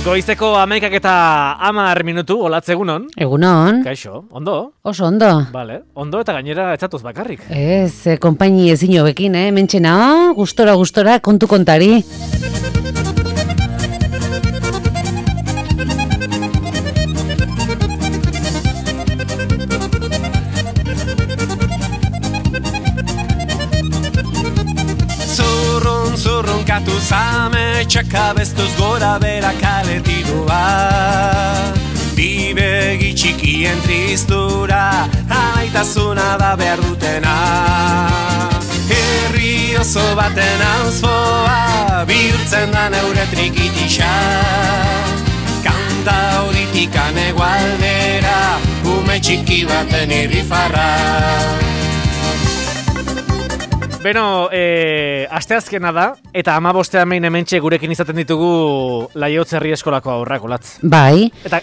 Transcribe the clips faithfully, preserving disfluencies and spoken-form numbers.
Goizeko hamaikak eta hamar minutu, olatz egunon. Egunon. Kaixo, ondo? Oso ondo. Vale, ondo eta gainera etzatuz bakarrik. Ez, eh, konpaini ezin hobekin, eh? Mentxena, gustora, gustora, kontu kontari. Katu zame txakabestuz gora bera kaletirua, bibegi txikien tristura, alaitasuna da behar dutena. Herri oso baten auzpoa, bihurtzen da neure trikitisa, kanta horitikan egualdera, ume txiki baten irrifarra. Beno, e, asteazkena da, eta hamabostean behin hementxe gurekin izaten ditugu Laiotz Herri Eskolako haurrak, olatz. Bai. Eta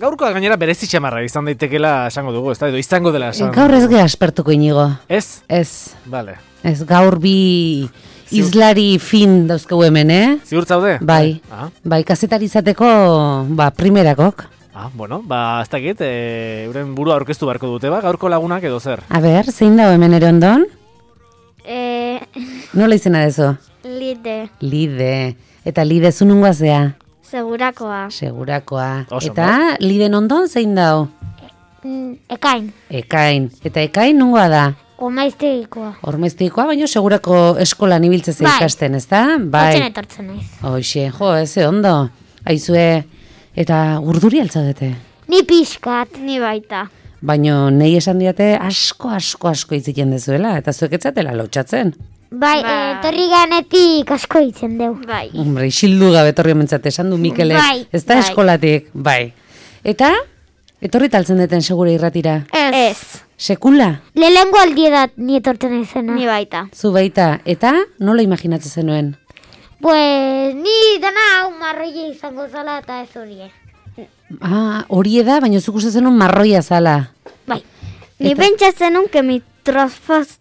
gaurkoa gainera berezi txamarra izan daitekela esango dugu, ez da, edo izango dela esan. Gaur ez geha aspertuko inigo. Ez? Ez. Vale. Ez, gaur bi izlari fin dauzkegu hemen, eh? Ziur zaude? Bai. Ah. Bai, kazetari izateko, ba, primerakok. Ah, bueno, ba, ez dakit, e, euren burua aurkeztu beharko dute, ba, gaurko lagunak edo zer. A ber, zein dago hemen ere ondon? Eh, Nola izena dezu? Lide, Lide. Eta Lide zu nungoa zea? segurakoa. Segurakoa. Oso Eta Liden ondon zein dau? Mm, Ekain, Ekain. Eta Ekain nungoa da? gomaiztegikoa. Ormeztikoa, baina segurako eskolan ibiltzez Bai. ikasten, ez da? Hortzen etortzen naiz. Hoxe, jo, ez ondo. Aizue, eta urduri altzaudete. Ni pixkat, ni baita. Baina nahi esan diate asko, asko, asko itziten dezuela, eta zuek etzatela lotxatzen. Bai, Bai. etorri ganetik asko hitzen deu. Bai. Hombre, isildu gabe etorri omentzat, esan du Mikelek, Bai, ez da bai. eskolatik, bai. Eta, etorri taltzen deten segure irratira. Ez. Sekula, Lehengo aldiedat ni etortzen naizena. Ni baita. zu baita, eta nola imaginatzen zenuen? Pues, ni dana hau marroia izango zala eta ez horie. Ah, hori da, baina zuk uste zenuen marroia zala. Bai. Ni Eta- pentsatzen nun kemi trozfoz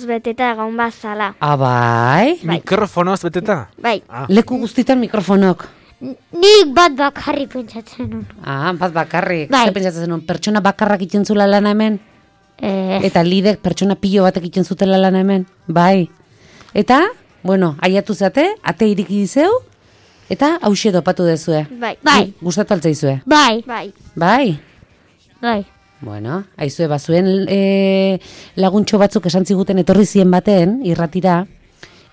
beteta egon bazala. Ah, bai? Mikrofonoz beteta? Bai. Ah, Leku guztitan mikrofonok. N- Nik bat bakarri pentsatzen nun. Ah, bat bakarrik. Bai. Zer pentsatzen zenuen, pertsona bakarrak iten zula lana hemen? Eh, Eta lidek pertsona pilo batek iten zutela lana hemen? Bai. Eta, bueno, aiatu zate, ate iriki dizeu, eta hauxe dopatu dezue. Bai. Bai. Gustatu altzaizue. bai, Bai. Bai. bai. Bueno, aizue bazuen e, laguntxo batzuk esan ziguten etorri zien baten, irratira,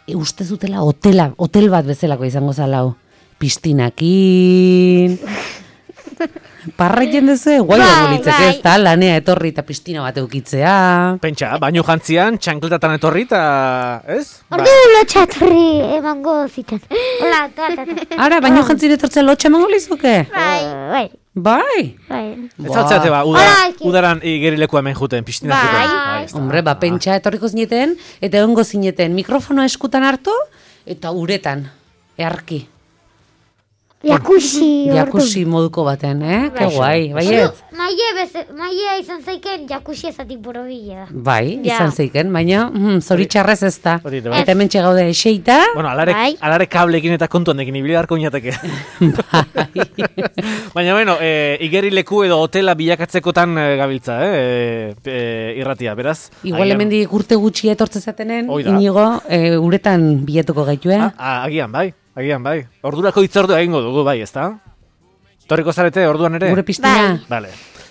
e, uste zutela hotela, hotel bat bezalako izango zalau. Pistinakin. Parraiten dezue, guai Bai, dago litzeke bai. ez da, lanea etorri eta pistina bat eukitzea. pentsa, baino jantzian, txankletatan etorri eta, ez? Ordu lotxatorri emango ziten. Hola, ta, ta, ta. Ara, baino jantzire etortzea lotxa emango lizuke? Bai, bai, Bai. bai. Ez altzate ba, uda, Hola, Eki. udaran igerileku hemen juten, pistina Bai. juten. Bai. ez da. Hombre, ba, pentsa etorriko zineten, eta egongo zineten mikrofonoa eskutan hartu, eta uretan, earki. Jakusi ordu. Jakusi moduko baten, eh? Ke guai, baiet? Maie, beze, maie izan zaiken jakusi ezatik borobila da. Bai, Ja. izan zeiken, baina mm, zoritxarrez ez da. Hori ere bai. Eta hemen txegaude eseita, Bueno, alare, Bai. alare kablekin eta kontuandekin ibili beharko inateke. bai. Baina, bueno, e, igerileku edo hotela bilakatzekotan e, gabiltza, eh? E, e, irratia, beraz. Igual agian- hemendik urte gutxi etortze zatenen, Hoi da. inigo, e, uretan bilatuko gaitue. Ah, ah, agian, bai, agian, bai. Ordurako hitzordu egingo dugu, bai, ezta? Torriko zarete orduan ere? Gure pistina. Vale.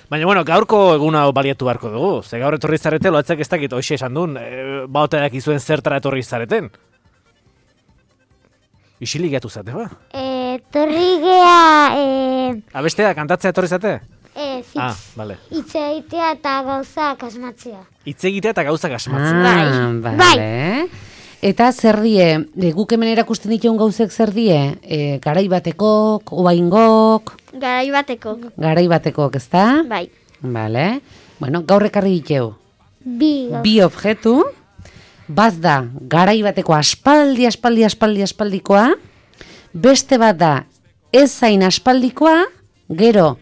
Baina, bueno, gaurko egun hau baliatu beharko dugu. Ze gaur etorri zarete, loatzak ez dakit, hoxe esan duen, e, baoteak izuen zertara etorri zareten. Isilik gatu zate, ba? Eh, torri gea, eh, Abestea, kantatzea etorri zate? eh, Ah, zitz, vale. hitz egitea eta gauzak asmatzea. Hitz egitea eta gauzak asmatzen. Ah, bale. Eta zer die, e, guk hemen erakusten dituen gauzek zer die? E, garai batekok, oaingok, Garai bateko. garai batekok, ezta? Bai. Bale. Bueno, gaur ekarri diteu. Bi, gau- Bi objektu, bat da garai bateko aspaldi, aspaldi, aspaldi, aspaldikoa, beste bat da ez zain aspaldikoa, gero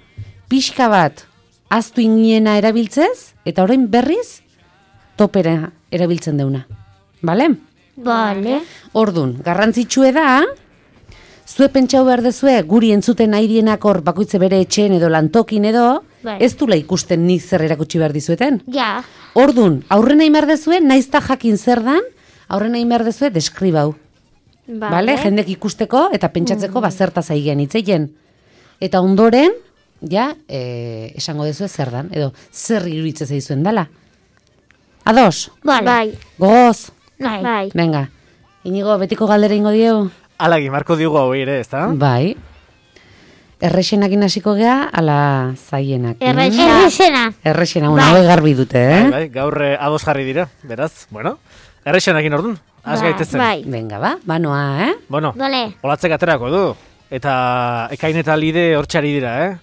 pixka bat aztu iniena erabiltzez, eta orain berriz topera erabiltzen deuna. Bale? Bale. Ordun, garrantzitsue da, Zue pentsau behar dezue, guri entzuten nahi dienak hor bakoitze bere etxeen edo lantokin edo, Bai. ez dula ikusten nik zer erakutsi behar dizueten. Ja. Ordun, aurrena imar dezue, naizta jakin zer dan, aurrena imar dezue deskribau. Vale. Bale, jendek ikusteko eta pentsatzeko ba zertaz aigean hitzeien. Eta ondoren, ja, e, esango dezue zer dan, edo zer iruditzen zaizuen dala. Ados, Vale. Bai, gogoz, Bai. bai. venga. Inigo, betiko galdera ingo dieu? Alagi, marko diugu hau ere, ezta? Bai. Errexenakin hasiko gea, ala zaienak. Errexe- Errexena. Errexena, una hau garbi dute, eh? Bai, bai, gaur eh, ados jarri dira, beraz, bueno. Errexenakin ordun, has Bai, gaitezen. Bai. Venga, ba, banoa, eh? Bueno, Vale. olatzek aterako du. Eta ekain eta lide hortxari dira, eh?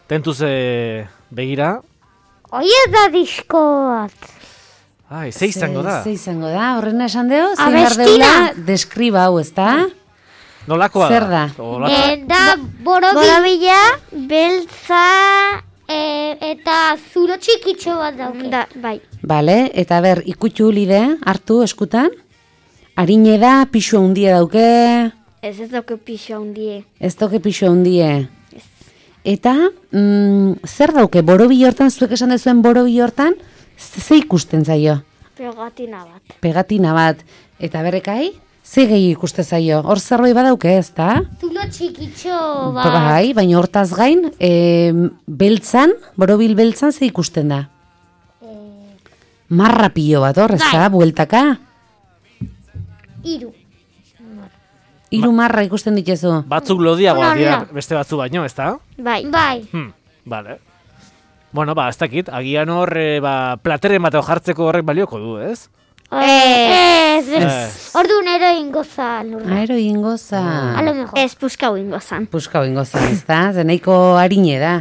Tentuz eh, begira. Oie da disko bat. Ai, ze izango da? Ze izango da, horrena esan deo, zein behar Abestina. deula, deskriba hau, ezta? Nolakoa Zer da? Olatza- Eh, da borobi. Borobila, beltza, Eh, eta zuro txikitxo bat dauke. da, bai. Bale, eta ber, ikutxu lide, hartu eskutan. Harine da, pixu handia dauke, Ez ez dauke pixo handie. ez dauke pixu handie. Eta, mm, zer dauke, borobi hortan, zuek esan dezuen borobi hortan, ze ze ikusten zaio? Pegatina bat. Pegatina bat, eta berrekai, ze gehi ikuste zaio? Hor zerbait badauke, ez da? Zulo txikitxo bat. Bai, baina hortaz gain, e, beltzan, borobil beltzan ze ikusten da? Marra pilo bat hor, ez da, bueltaka? Iru. Hiru marra ikusten dituzu. Batzuk lodiagoa Ona, dira ona. beste batzu baino, ezta? Bai. Bai. Hmm, vale. Bueno, ba, ez dakit, agian hor, eh, ba, plateren bat jartzeko horrek balioko du, ez? Ez, ez. Ez. Orduan ero ingoza lurra. Aero ingoza. A lo mejor. Ez puskau ingo zan. Puskau ingoza, ez da? Zeneiko harine da.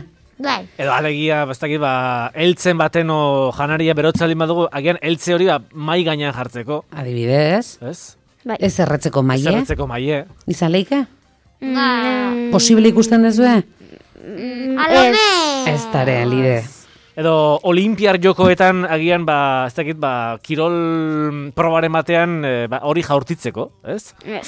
Bai. Edo alegia, ez dakit, ba, eltzen baten o janaria berotzalin badugu, agian eltze hori ba, mai gainean jartzeko, Adibidez, ez? Bai. ez erretzeko maie. Zerretzeko maie. Izan leike? Bai. Posible ikusten dezue? Alome. Ez tare, lide. Edo olimpiar jokoetan agian, ba, ez dakit, ba, kirol probaren batean eh, ba, hori jaurtitzeko, ez? Ez.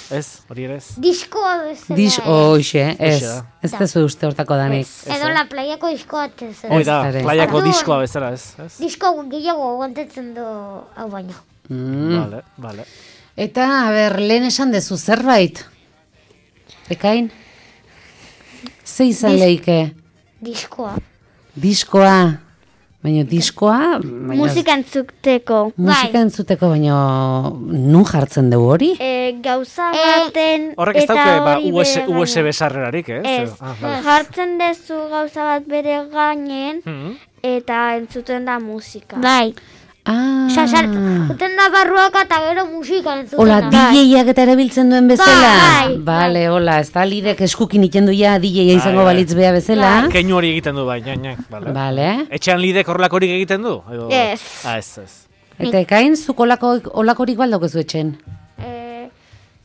Ez, hori ere ez. Diskoa bezala. Dis, oixe, ez. Hoxe da. Ez dezu uste hortako danik. Edo la playako diskoa ez. Hoi da, Ez, playako Orduan. diskoa bezala, ez? ez? Disko gehiago aguantatzen du hau baino. Mm. Vale, vale. Eta, a ber, lehen esan dezu zerbait? Ekain? Ze izan leike? Diskoa. Diskoa. Baina diskoa... Baina, Musika entzuteko. musika entzuteko, baina nun jartzen dugu hori? E, gauza Eh, baten Horrek ez eta dauke, ba, hori U S, bere U S B gainean. sarrerarik, ez? Ez, Ah, vale. jartzen dezu gauza bat bere gainen Mhm. eta entzuten da musika. Bai. Ah, Osa, sart, juten da barruak eta gero musika entzuten hola, da. D J-ak eta erabiltzen duen bezala? Bai, Bale, hola, ez da lidek eskukin iten duia D J-a izango Bai, bai. balitz bea bezala? Keinu hori egiten du, bai, nia, nia, vale. Bale. Etxean lidek horrelakorik egiten du? Edo... Ez. Ah, ez, ez. Eta ekain, zuk olako, olakorik baldokezu etxen? Eh,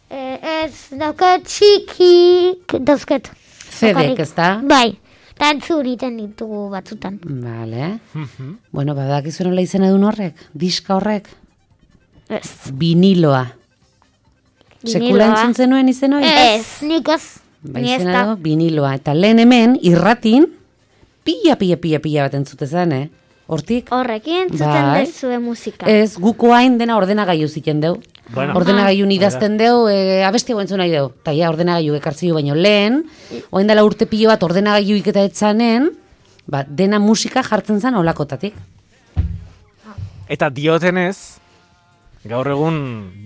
eh, ez, daukat txikik dauzket. Zedek, ez da? Bai, eta entzun iten ditugu batzutan. Bale. Bueno, badakizu nola izena duen horrek? Diska horrek? Ez. Viniloa. Sekula Viniloa. entzun zenuen izen hori? Ez, nik ez. Ba, Ni ez izena da. du, viniloa. Eta lehen hemen, irratin, pila, pila, pila, pila bat entzutezan, eh? Hortik? Horrekin entzuten Bai. dezue musika. Ez, guko hain dena ordenagailu ziten deu. Bueno. Ordenagailun idazten deu, e, abestiago entzun nahi deu. Ta ja, ordenagailu ekartzio baino lehen, oain dela urte pilo bat ordenagailu iketa etzanen, ba, dena musika jartzen zen olakotatik. Eta diotenez, gaur egun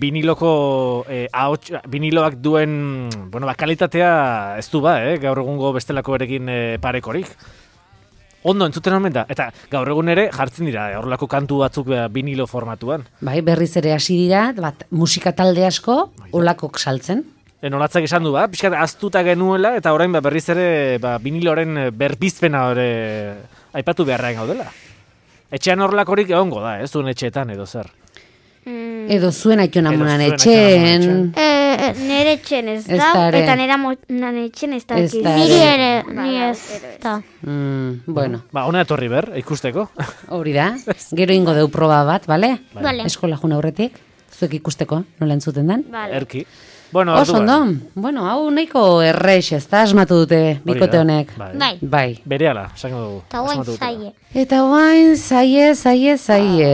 viniloko eh, ahots, viniloak duen, bueno, ba, kalitatea ez du ba, eh? Gaur egungo bestelako erekin eh, parekorik. Ondo entzuten omen da, eta gaur egun ere jartzen dira, eh, horrelako kantu batzuk eh, vinilo formatuan. Bai, berriz ere hasi dira, bat, musika talde asko, olakok saltzen. Enolatzak esan du, ba, pixkat aztuta genuela, eta orain ba, berriz ere ba, viniloren eh, berbizpena ore aipatu beharraen gaudela. Etxean horrelakorik egongo da, ez duen etxeetan edo zer. Mm, Edo zuen aiton amunan zuen etxen. aitonamunan Eh, ez. nere etxen ez Ez da, da ere. eta nera monan etxen ez da. Ez da Niri ere. ere, Bai, ni bai, ez. ero ez. Da. Mm, bueno, Ba, hona etorri ber, ikusteko. hori da. Gero ingo deu proba bat, bale? Vale. Eskola jun aurretik, zuek ikusteko, nola entzuten den. Vale. Erki. Bueno, Oso orduan. ondo. Bueno, hau nahiko errex, ez da asmatu dute bikote da, honek. Bai. Bai. Bai. Berehala, esango dugu. Eta guain asmatu dutela. zaie. Eta guain, zaie, zaie, zaie.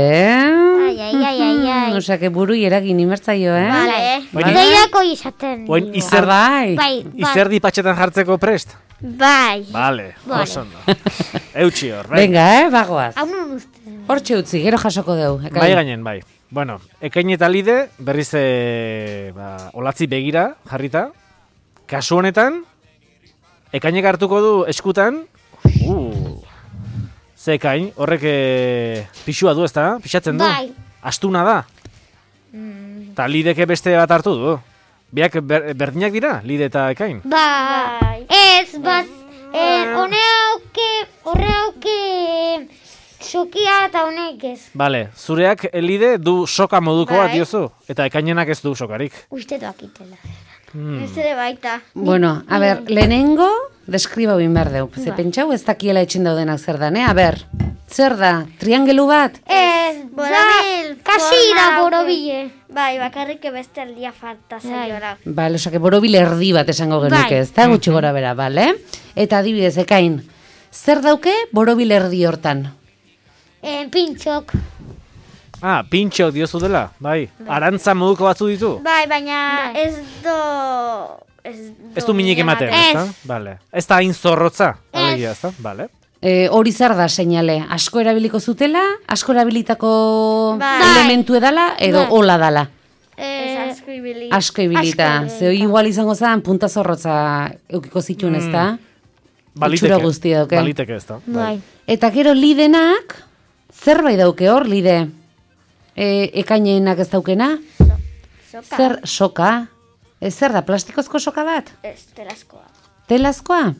Ai, ai, ai, ai, ai. Osea, que buru eragin imertzaio, eh? Vale. Oain- Gehiako izaten. Oain dio. izer, Ah, bai. Bai, bai. izerdi patxetan jartzeko prest? Bai. Vale, Vale. oso ondo. Eutxi hor, bai. Venga, eh, bagoaz. Hau non uste. Hortxe utzi, gero jasoko deu. Bai gainen, bai. Bueno, ekain eta lide, berriz e, ba, olatzi begira jarrita. Kasu honetan, ekainek hartuko du eskutan, uh, ze ekain, horrek e, pixua du, ezta? Pixatzen du? Bai. Astuna da? Ta lideke beste bat hartu du. Biak ber, berdinak dira, lide eta ekain? Bai. Ez, bat, eh, hone hauke, horre hauke, sokia eta honek ez. Bale, zureak lide du soka modukoa Bai. diozu, eta ekainenak ez du sokarik. Uste doakitela. Hmm. Ez ere baita. Bueno, a ber, lehenengo, deskribau bin behar deu. Ze Bai. pentsau ez dakiela etxen daudenak zer dan, eh? A ber, zer da, triangelu bat? Ez, Borobil, da, kasi da forma borobile. Bai, bakarrik beste aldia falta zaiora. Bale, osake, borobil erdi bat esango genuke, Bai. ez da, gutxi gora bera, bale? Eta adibidez, ekain, zer dauke borobil erdi hortan? Eh, pintxok. Ah, pintxo diozu dela, bai. Arantza moduko batzu ditu? Bai, baina Bai. ez do... Ez, do Ez du minik ematen, Ez. ez da? Vale. Ez da hain zorrotza, Ez. alegia, ez da? Vale. E, hori zer da seinale, asko erabiliko zutela, asko erabilitako Bai. elementu edala, edo Bai. hola dala. Ez asko ibili. Asko ibilita, Asko ze hori igual izango zen punta zorrotza eukiko zituen, ez da? Baliteke, Itxura guztia dauke. baliteke ez da. Bai. Eta gero lidenak, zerbait dauke hor, lide? E, ekainenak ez daukena? Soka. Zer soka? E, zer da, plastikozko soka bat? Ez, telazkoa. Telazkoa?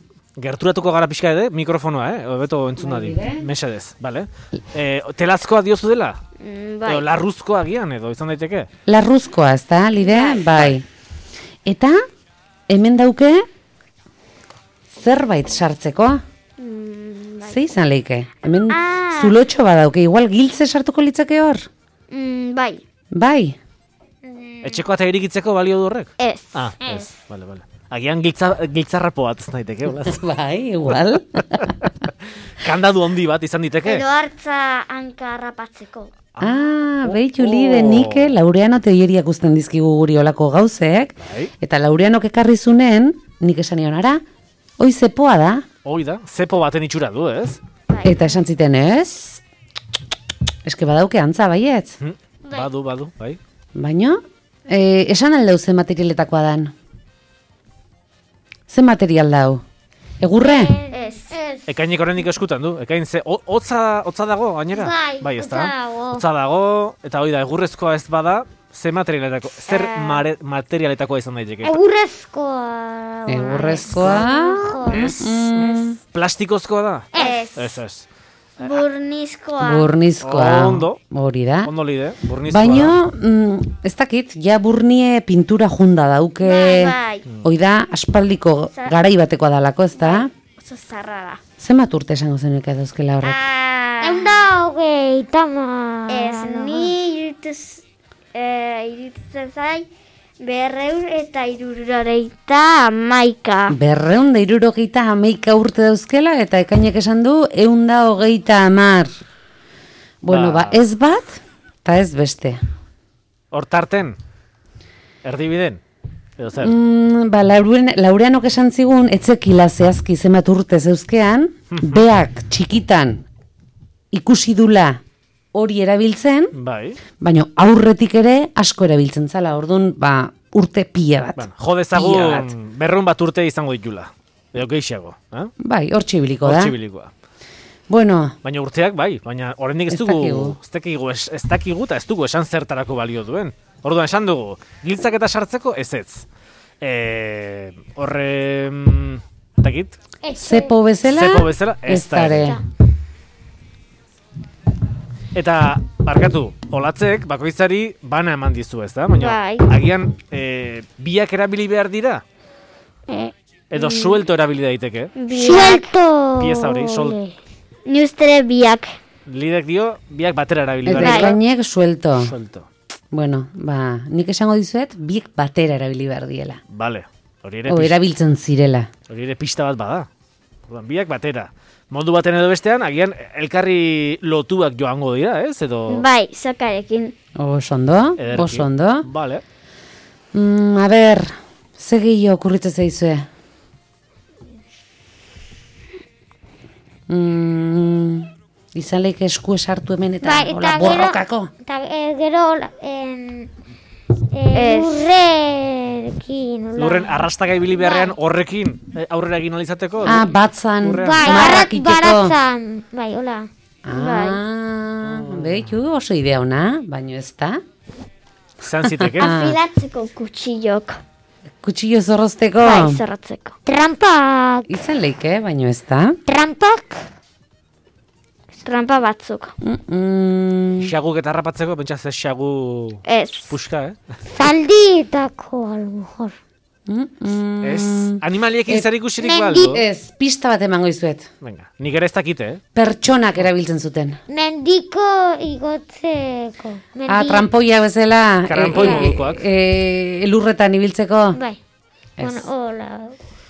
Gerturatuko gara pixka ere, mikrofonoa, eh? Hobeto entzun dadi. Mesedez, bale? E, telazkoa diozu dela? Mm, bai. Edo larruzkoa gian edo, izan daiteke? Larruzkoa, ez da, lide? Bai. Eta, hemen dauke, zerbait sartzeko? Mm, bai. Ze izan leike? Hemen Ah. zulotxo badauke, igual giltze sartuko litzake hor? Mm, bai. Bai. Etxeko eta irikitzeko balio du horrek? Ez. Ah, ez, bale, bale. Agian giltza, giltzarrapo bat ez daiteke, olaz? Bai, igual. Kandadu handi bat izan diteke? Edo hartza hanka harrapatzeko. Ah, Oh, behitu oh. lide nike Laureano teoriak usten dizkigu guri olako gauzek, Bai. eta Laureanok ekarri zunen, nik esan nion, ara, hoi zepoa da, Hoi da, zepo baten itxura du, ez? eta esan ziten ez, eske badauke antza baietz, Hm? Badu, badu, bai. baino, e, esan aldau ze materialetakoa dan. Ze material dau? Egurre? Ez. Ez. Ekainek oraindik eskutan du, ekain ze, ho- hotza, hotza dago, gainera? Bai, ez hotza da? dago. Hotza dago, eta hoi da, egurrezkoa ez bada, ze materialetako, zer mare, materialetakoa izan daiteke? Egurrezkoa. Egurrezkoa? Ez, Mm, plastikozkoa da? Ez. Ez, ez. Burnizkoa. burnizkoa. Ondo. Hori da. Ondo lide, burnizkoa Baino, mm, ez dakit, ja burnie pintura junda dauke, Bai, bai. hoi da, aspaldiko Za- garai batekoa dalako, ez da? Oso zarra da. Zenbat urte esango zenuke dauzkela horrek? Ah, Egun da hogei, tama. ez, ni irituz, eh, iruditzen zai, berreun eta iruroreita amaika. Berreun da irurogeita hameika urte dauzkela, eta ekainek esan du, eun da hogeita amar. Bueno, Ba. ba, ez bat, eta ez beste. Hortarten, erdibiden, edo zer? Mm, ba, Lauren, Laureanok esan zigun, etzekila zehazki zenbat urte zeuzkean, beak txikitan ikusi dula hori erabiltzen, Bai. baina aurretik ere asko erabiltzen zala, orduan, ba, urte pila bat. Bueno, jo Pila dezagun bat. berrun bat urte izango ditula. Edo gehiago, eh? Bai, hor txibiliko da. Hortxibilikoa. Bueno, Baina urteak bai, baina oraindik ez Ez dugu, dakigu. ez dakigu, ez, ez dakigu eta ez dugu esan zertarako balio duen. Orduan esan dugu, giltzak eta sartzeko ez ez. E, horre, mm, dakit, zepo bezala, zepo bezala, ez da ere. ere. Eta, barkatu, olatzek bakoitzari bana eman dizu, ez da? Baina, Bai. agian, e, biak erabili behar dira? Edo suelto erabili daiteke? Suelto. Pieza hori, sol- Ni ustere biak. Lidek dio, biak batera erabili Eta behar dira. ekainek suelto. Suelto. Bueno, ba, nik esango dizuet, biek batera erabili behar diela. Vale, hori ere, O pista, erabiltzen zirela. hori ere pista bat bada. Orduan, biak batera. Modu baten edo bestean, agian elkarri lotuak joango dira, ez? Edo Bai, sokarekin. Oso ondo, ederki. oso ondo. Vale. Mm, a ber, ze gehiago okurritzen zaizue? Mm, izan leik esku esartu hemen eta Bai, hola eta gero- borrokako. Eta eh, gero en, eh, Ez. lurrekin. hola. Lurren arrastaka ibili beharrean horrekin eh, aurrera egin alizateko? Ah, batzan, Lurrean. Bai, marrak arrat iteko. baratzan. Bai, hola. Ah, behitu, oso idea ona, baino ez da. Zan ziteke. Ah. Afilatzeko kutxillok. Kutxillo zorrozteko. Bai, zorrotzeko. Trampak. Izan leike, baino ez da. Trampak. Trampa batzuk. Mm -mm. Xaguk eta harrapatzeko, pentsa ze xagu Ez. puska, eh? Zaldietako, a lo mejor. Mm -mm. Ez, animaliekin zer ikusirik mendi- baldu? Ez, pista bat emango izuet. Venga, nik ere ez dakite, eh? Pertsonak erabiltzen zuten. Mendiko igotzeko. Mendi... Ah, trampoia bezala. Karranpoi eh, modukoak. eh, elurretan ibiltzeko. Bai. Ez. Bueno, hola.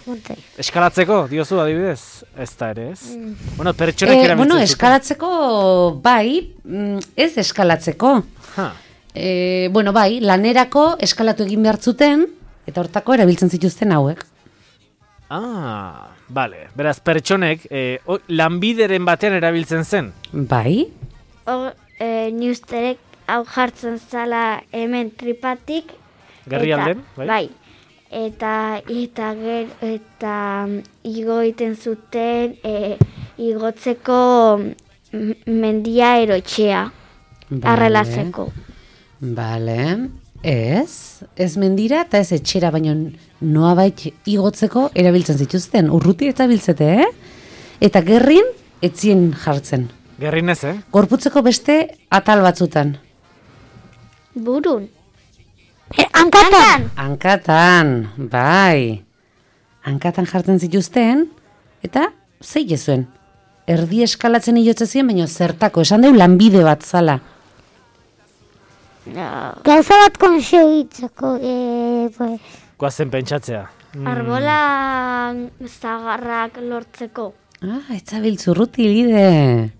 Monte. Eskalatzeko, diozu adibidez? Ez da ere, ez? Mm. Bueno, pertsonak Eh, erabiltzen bueno, zuten. eskalatzeko, bai, mm, ez eskalatzeko. Ha, Eh, bueno, bai, lanerako eskalatu egin behar zuten, eta hortako erabiltzen zituzten hauek. ah, vale. Beraz, pertsonek eh, o- lanbideren batean erabiltzen zen. Bai, Hor, e, ni usterek hau jartzen zala hemen tripatik. Gerrialden, eta- bai? Bai. Eta, eta, ger, eta mm, igo egiten zuten e, igotzeko mm, mendia erotxea. Vale. Arrelatzeko. Bale, ez, ez mendira eta ez etxera, baino noabait igotzeko erabiltzen zituzten. Urruti eta biltzete, eh? Eta gerrin etzien jartzen. Gerrinez, eh? Gorputzeko beste atal batzutan. Burun. Eh, hankatan. Hankatan, bai. Hankatan jartzen zituzten, eta zei zuen. Erdi eskalatzen hilotze ziren, baina zertako, esan deu lanbide bat zala. No. Gauza bat konsegitzeko. Eh, pues. Goazen pentsatzea. Mm, Arbola zagarrak lortzeko. Ah, etzabiltzurruti lide.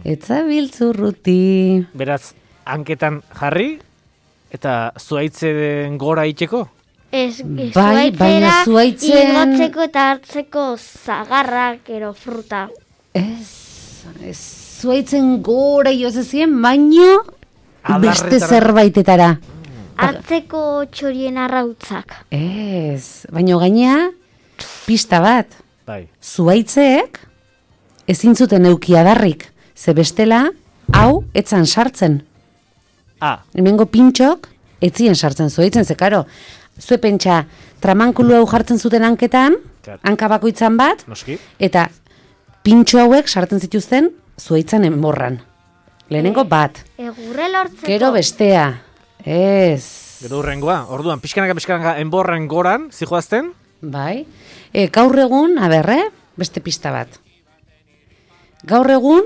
Etzabiltzurruti. Beraz, hanketan jarri, eta zuaitzen gora itxeko? Ez, ez Bai, baina zuhaitzen- igotzeko eta hartzeko zagarrak ero fruta. Ez, ez zuaitzen gora joze ziren, baino beste Adarretara. zerbaitetara. Hartzeko txorien arrautzak. Ez, baino gainea, pista bat. Bai. Zuaitzeek ezin zuten euki adarrik, ze bestela hau etzan sartzen. Ah, Hemengo pintxok etzien sartzen zuaitzen, ze karo, zue pentsa tramankulu hau jartzen zuten hanketan, Claro. hanka bakoitzan bat, noski. eta pintxo hauek sartzen zituzten zuaitzan enborran. Lehenengo bat, Egurre lortzeko. gero bestea, ez, Gero hurrengoa, orduan, pixkanaka pixkanaka enborren goran, zijoazten? bai. E, gaur egun, aberre, beste pista bat. Gaur egun,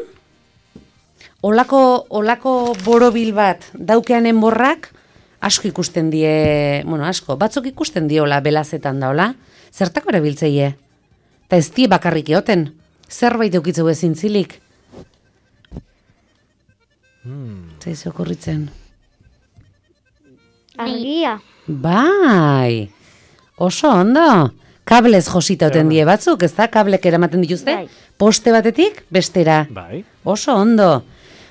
olako, olako borobil bat daukean enborrak, asko ikusten die, bueno, asko, batzuk ikusten diola belazetan daola, zertako erabiltzeie? Eta ez die bakarrik eoten, zerbait eukitzeu ezin zilik. Hmm. Zaizu okurritzen. Argia. Bai, oso ondo. Kablez josita oten die batzuk, ez da? Kablek eramaten dituzte, Bai. poste batetik bestera. Bai. Oso ondo.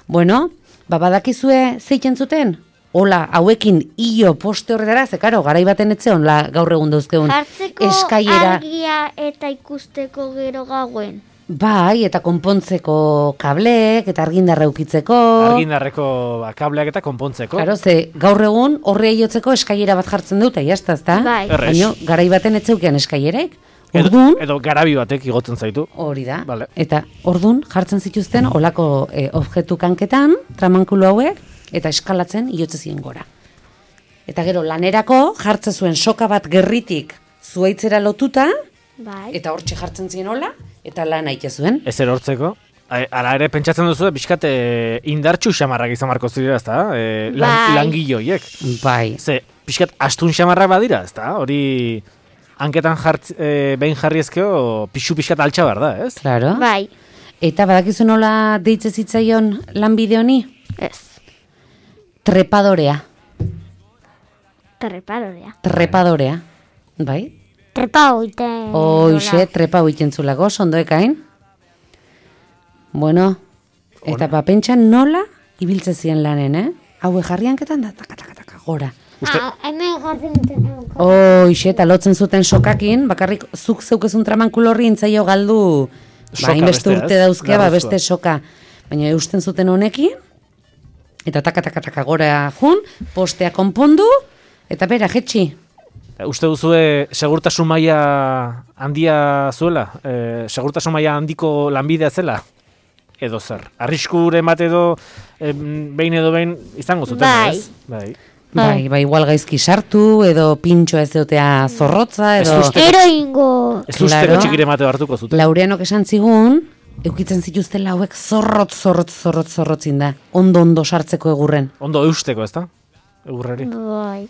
Bueno, babadakizue zeiten zuten? Hola, hauekin hilo poste horretara, ze karo, garai baten etzeon la gaur egun dauzkegun Jartzeko eskaiera. argia eta ikusteko gero gauen. Bai, eta konpontzeko kablek, eta argindarra eukitzeko. Argindarreko ba, kableak eta konpontzeko. Claro, ze gaur egun horre jotzeko eskaiera bat jartzen dute, jazta, ezta? Bai. Erres. Baina, garai baten etzeukean eskaieraik. Edo, Ordun, edo garabi batek igotzen zaitu. hori da. Vale. Eta ordun jartzen zituzten olako e, objektu kanketan, tramankulu hauek, eta eskalatzen iotze ziren gora. Eta gero lanerako jartzen zuen soka bat gerritik zuaitzera lotuta, Bai. eta hortxe jartzen ziren hola, eta lan aite zuen. Ez erortzeko. Ala ere pentsatzen duzu, pixkat e, indartxu xamarrak izan marko zidea, ezta? E, lan, Bai. langilloiek. Bai. Ze, pixkat astun xamarrak badira, ezta? Hori hanketan jartz, e, behin jarri ezkeo, pixu pixkat altxa behar da, ez? Claro. Bai, Eta badakizu nola deitze zitzaion lanbide honi? ez. Trepadorea. Trepadorea. Trepadorea. Bai? Trepa hoiten. Hoxe, trepa hoiten zulako, ondo ekain. Bueno, eta ba, pentsa nola ibiltze ziren lanen, eh? Haue jarri hanketan da, taka, taka, taka, gora. Uste- Ah, hemen jartzen duten. Hoxe, eta lotzen zuten sokakin, bakarrik zuk zeukezun tramankulo horri intzaio galdu, ba, Soka inbeste bestea, urte ez? dauzkea, ba, Garrantzitsua. beste soka. Baina eusten zuten honekin, eta taka, taka, taka, gora jun, postea konpondu, eta bera, jetxi. Uste duzue segurtasun maila handia zuela? E, segurtasun maila handiko lanbidea zela? Edo zer? Arriskuren bat edo em, behin edo behin izango zuten, Bai. ez? Bai. Bai, bai, igual gaizki sartu, edo pintxoa ez dutea zorrotza, Ez edo... uste- Eroingo. Ez usteko Claro. txikire mate hartuko zuten. Laureanok esan zigun, eukitzen zituzten lauek zorrotz, zorrotz, zorrotz, zorrotzin da. Ondo, ondo sartzeko egurren. Ondo eusteko, ezta? Egurrari. Bai.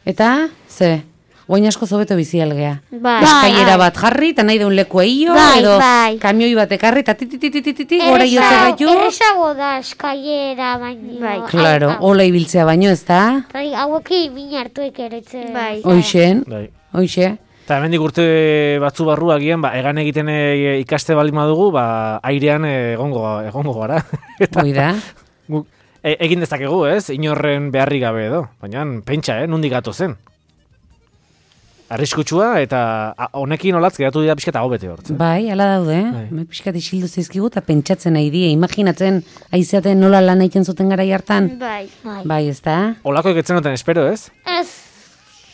Eta, ze, guain asko zobeto bizi algea. Bai. Eskailera bat jarri, eta nahi deun leku eio, Bai, edo bai. kamioi bat ekarri, eta titititititi, gora jotzen gaitu. Errezago da eskailera baino. Bai. Claro, hola ibiltzea baino, ez da? Bai, hauekin min hartuek eretzen. Bai. Hoixen, Bai. hoixe. Eta hemendik urte batzu barru agian, ba, egan egiten e, ikaste baldin badugu, ba, airean egongo, egongo gara. Eta Hoi da. guk e, egin dezakegu, ez? Inorren beharri gabe edo. Baina pentsa, eh? Nundik gato zen. Arriskutsua eta a, honekin olatz geratu dira pixka eta hau bete hortzen. Bai, ala daude, Bai. eh? Me pixkat isildu zizkigu eta pentsatzen nahi die, imaginatzen aizeaten nola lan egiten zuten garai hartan. Bai. Bai. Bai, ez da? Olako egetzen duten espero, ez? Ez.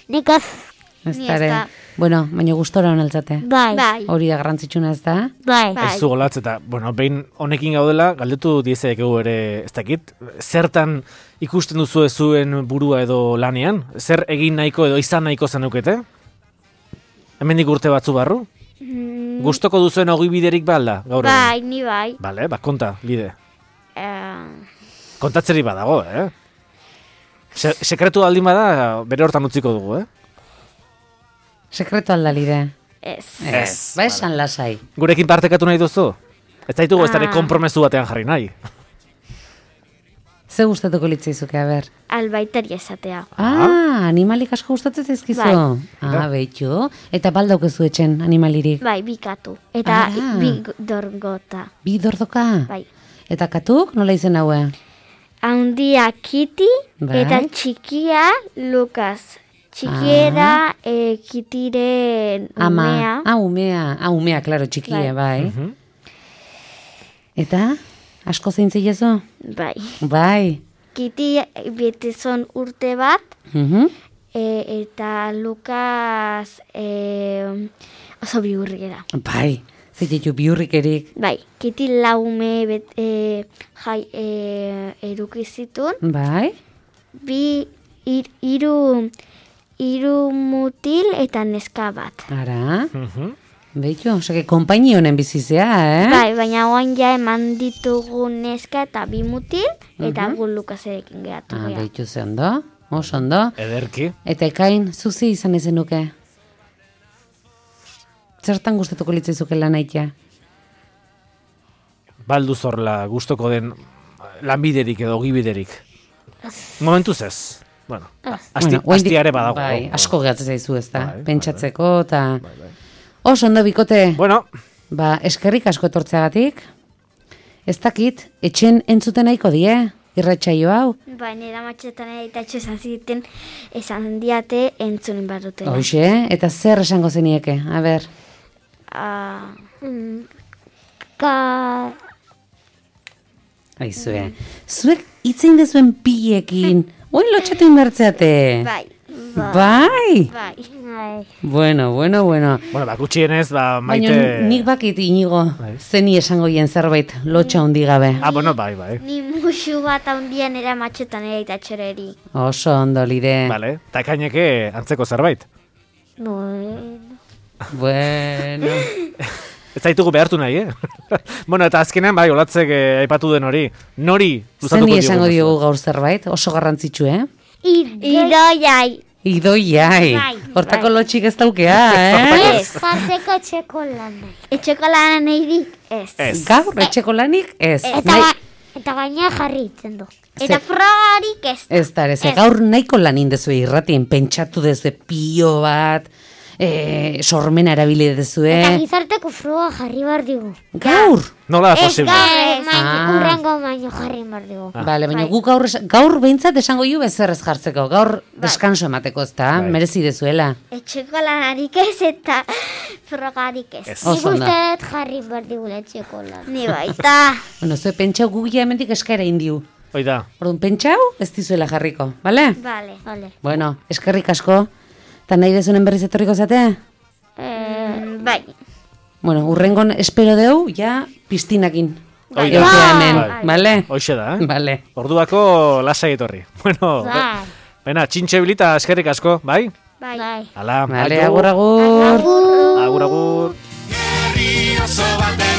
Nikaz. Ez Ni da ez ere. da. Bueno, baina gustora honeltzate. Bai. Bai. Hori da garrantzitsuna, ez da? Bai. Bai. Aizu olatz eta, bueno, behin honekin gaudela, galdetu diezekegu ere, ez dakit, zertan ikusten duzu zuen burua edo lanean? Zer egin nahiko edo izan nahiko zenukete? Hemendik urte batzu barru? Mm, Gustoko duzuen ogibiderik ba alda, gaur egun? bai, ni bai. Bale, ba, konta, bide. Eh, Kontatzeri badago, eh? Se sekretu aldin bada, bere hortan utziko dugu, eh? Sekretu aldalide. ez. Ez, Ba esan lasai. Gurekin partekatu nahi duzu? Ez zaitugu ez dara Ah. konpromesu batean jarri nahi. Ze gustatuko litzaizuke, a ber? Albaitari esatea. Ah, animalik asko gustatzen zaizkizu. Bai. Ah, behitu. Eta baldaukezu etxen animalirik. Bai, bikatu. Eta Ah. bi dorgota. Bi dordoka. Bai. Eta katuk, nola izen haue? Handia Kiti Bai. eta txikia Lukas. Txikiera eh, Kitiren Ama. umea. Ah, umea. Ah, umea, klaro, txikie, bai. Mhm. Eta, asko zeintzilezu? Bai. Bai. Kiti betezon urte bat, Mhm. e, eta Lukas e, oso bihurriera. Bai. Zeitetu biurrikerik. Bai, Kiti laume bet, e, jai, e, eduki zituen, Bai. bi ir, iru, iru mutil eta neska bat. Ara. Mhm. Beitu, osake, konpaini honen bizizea, eh? Bai, baina oain ja eman ditugu neska eta bi mutil, eta gu Lukaserekin geratu Ah, gea. beitu ze ondo. Oso ondo. Ederki. Eta ekain, zuzi izan ezen nuke. Zertan gustatuko litzaizuke lan aitea? Baldu zorla gustoko den lanbiderik edo ogibiderik. Momentuz ez. Bueno, asti, Bueno, oraindik- astiare badago. Bai, asko gehatzen zaizu ez da. Bai, bai, Pentsatzeko eta... Oso ondo bikote, Bueno, ba, eskerrik asko etortzeagatik. Ez dakit, etxen entzuten nahiko die, irratsaio hau. Bai, nera matxetan eta esan ziten, esan diate entzunin bat dutela. Hoxe, eta zer esango zenieke, a ber. Ah, Ka... Aizue, zuek itzein dezuen pilekin, oin lotxatu inbertzeate. bai, Bai. bai. Bai. Bueno, bueno, bueno. bueno, ba, gutxienez, ba, Baina maite... nik bakit inigo, Bai. zeni esango hien zerbait, lotxa hundi gabe. Ah, bueno, bai, bai. Ni musu bat handian era matxetan ere eta txereri. Oso ondo lide. Vale, eta kaineke antzeko zerbait. No. Bueno. Ez zaitugu behartu nahi, eh? Bueno, eta azkenean, bai, olatzek eh, aipatu den hori. Nori luzatuko Zeni diogu. esango diogu gaur zerbait, oso garrantzitsu, eh? Idoiai. Idoiai. Bai, Hortako bai. lotxik ez daukea, eh? Ez jartzeko txeko lanai. Etxeko lanan eidik, ez. Ez. Gaur, etxeko lanik, ez. Eta, Nahi- ga, eta gaina jarri itzen du. Eta frogarik ez. Ez da, ez, gaur nahiko lan indezue irratien, pentsatu dezue pio bat, e, sormena erabili dezue. Eta gizarteko froga jarri bar digu. Gaur! Nola da Ez posible? gaur, maino, Ah. urrengo baino jarri bar digu. Bale, baina guk gaur, es- gaur behintzat esango ju bezer ez jartzeko, gaur deskanso emateko ez da, Bai. merezi dezuela. Etxeko lanarik ez eta frogarik ez. Ez. Nik Oso ondo. uste dut jarri bar digula txeko lan. Ni baita. Bueno, zue pentsau gugia hemendik eskaera indiu. Hoi da. Orduan, pentsau ez dizuela jarriko, bale? Vale. Vale. Bueno, eskerrik asko, eta nahi dezunen berriz etorriko zate? Mm, bai. Bueno, urrengon espero deu, ja, piztinakin. Hoi Egotea da. hemen, Bai. bale? Hoxe da, eh? Bale. Orduako lasai etorri. Bueno, Bai. bena, txintxe bilita eskerrik asko, bai? Bai. Bai. Ala, Bale, aio. agur, agur. Agur, agur. Herri oso baten